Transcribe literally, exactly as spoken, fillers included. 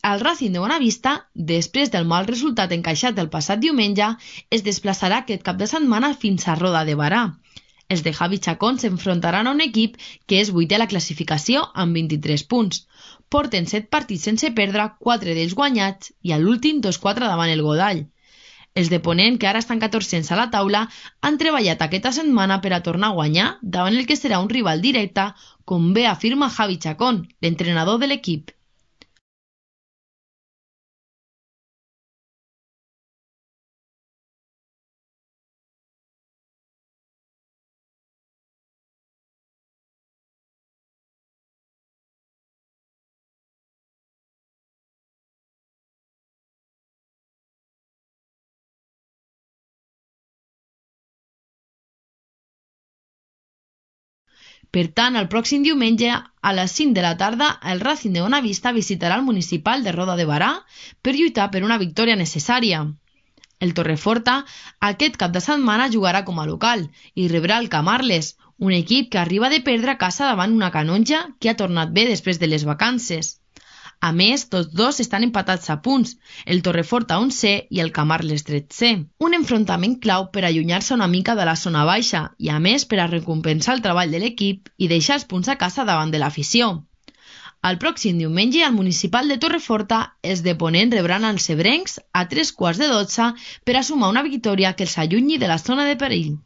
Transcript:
El Racing de Bonavista, després del mal resultat encaixat el passat diumenge, es desplaçarà aquest cap de setmana fins a Roda de Berà. Els de Javi Chacón s'enfrontaran a un equip que és vuitè a la classificació amb vint-i-tres punts. Porten set partits sense perdre, quatre d'ells guanyats i a l'últim dos quatre davant el Godall. Els de Ponent, que ara estan catorzens a la taula, han treballat aquesta setmana per a tornar a guanyar davant el que serà un rival directe, com bé afirma Javi Chacón, l'entrenador de l'equip. Per tant, el pròxim diumenge, a les cinc de la tarda, el Racing de Bonavista visitarà el municipal de Roda de Berà per lluitar per una victòria necessària. El Torreforta aquest cap de setmana jugarà com a local i rebrà el Camarles, un equip que arriba de perdre a casa davant una Canonja que ha tornat bé després de les vacances. A més, tots dos estan empatats a punts, el Torreforta onzè i el Camarles tretzè. Un enfrontament clau per allunyar-se una mica de la zona baixa i, a més, per a recompensar el treball de l'equip i deixar els punts a casa davant de l'afició. El pròxim diumenge, al municipal de Torreforta, els de Ponent rebran els ebrencs a tres quarts de dotze per a sumar una victòria que els allunyi de la zona de perill.